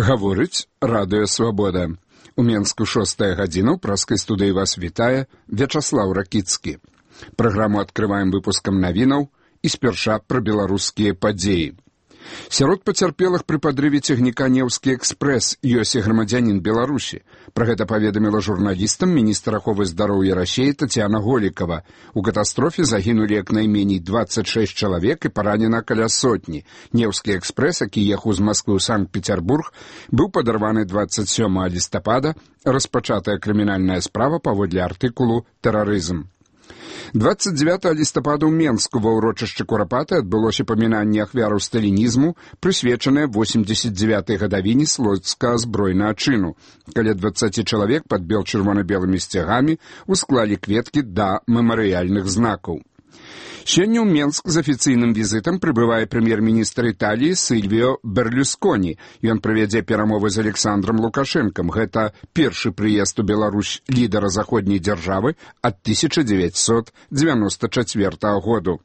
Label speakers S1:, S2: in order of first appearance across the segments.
S1: Гаворыць Радыё Свабода. У Менску 6 гадзіна, ў праскай студыі вас вітае Вячаслаў Ракіцкі. Праграму адкрываем выпускам навінаў і спярша пра беларускія падзеі. Сярод пацярпелых пры падрыве цягніка «Неўскі экспрэс» ёсць і грамадзянін Беларусі. Пра гэта паведаміла журналістам міністр аховы здароўя Расіі Тацяна Голікава. У катастрофе загінулі як найменей 26 чалавек і паранена каля сотні. «Неўскі экспрэс», які ехаў з Масквы ў Санкт-Петербург, быў падарваны 27 лістапада, распачатая крымінальная справа паводле артыкулу «Тэрарызм». 29 лістапада ў Менску ва ўрочышчы Курапаты адбылося памінанне ахвяраў сталінізму, прысвечанае 89-й гадавіне слуцкага збройнага чыну. Каля 20 чалавек пад бел-чырвона-белымі сцягамі усклалі кветкі да мемарыяльных знакаў. Сёння ў Менск з афіцыйным візітам прыбывае прэм'ер-міністр Італіі Сільвіо Берлюсконі. Ён правядзе перамовы з Александром Лукашэнкам. Гэта першы прыезд у Беларусь лідара заходняй дзяржавы ад 1994 году.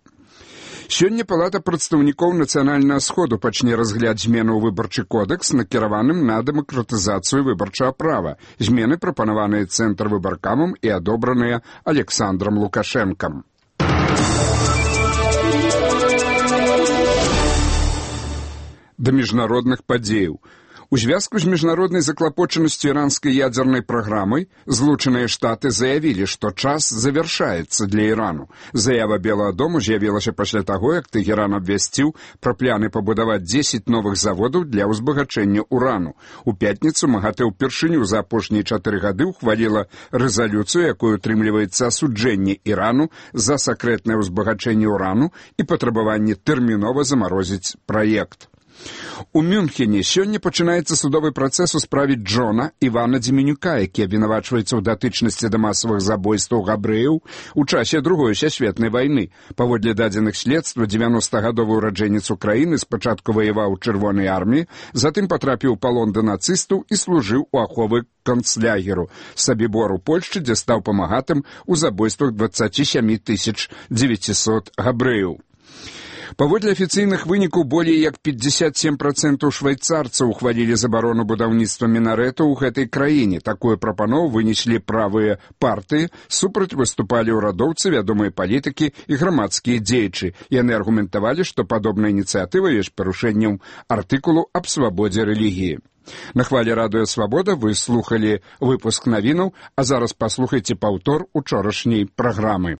S1: Сёння Палата прадстаўнікоў Нацыянальнага сходу пачне разгляд зменаў у выбарчы кодэкс, накіраваным на дэмакратызацыю выбарчага права. Змены прапанаваныя цэнтрвыбаркамам і адобраныя Александром Лукашэнкам. Да міжнародных падзеяў. У звязку з міжнароднай заклапочанасцю іранскай ядзернай праграмай Злучаныя Штаты заявілі, што час завяршаецца для Ірану. Заява Белага дому з'явілася пасля таго, як Тэгеран абвясціў пра пляны пабудаваць 10 новых заводаў для ўзбагачэння урану. У пятніцу МАГАТЭ ўпершыню за апошнія 4 гады ўхваліла рэзалюцыю, якой утрымліваецца асуджэнне Ірану за сакрэтнае ўзбагачэнне урану і патрабаванне тэрмінова замарозіць праект. У Мюнхене сёння пачынаецца судовы працэс у справе Джона Івана Дземенюка, які абвінавачваецца ў датычнасці да масавых забойстваў габрэяў у часе Другой сусветнай вайны. Паводле дадзеных следства, 90-гадовы ўраджэнец Украіны спачатку ваяваў у Чырвонай арміі, затым патрапіў у палон да нацыстаў і служыў у аховы канцлягеру Сабібор у Польшчы, дзе стаў памагатым у забойствах 27 900 габрэяў. Паводле афіцыйных вынікаў, болей як 57% швайцарцаў ухвалілі забарону будаўніцтва мінарэтаў у гэтай краіне. Такую прапанову вынеслі правыя партыі, супраць выступалі ўрадоўцы, вядомыя палітыкі і грамадскія дзеячы. Яны аргументавалі, што падобная ініцыятыва ёсць парушэннем артыкулу аб свабодзе рэлігіі. На хвалі Радыё Свабода вы слухалі выпуск навінаў, а зараз паслухайце паўтор учорашняй праграмы.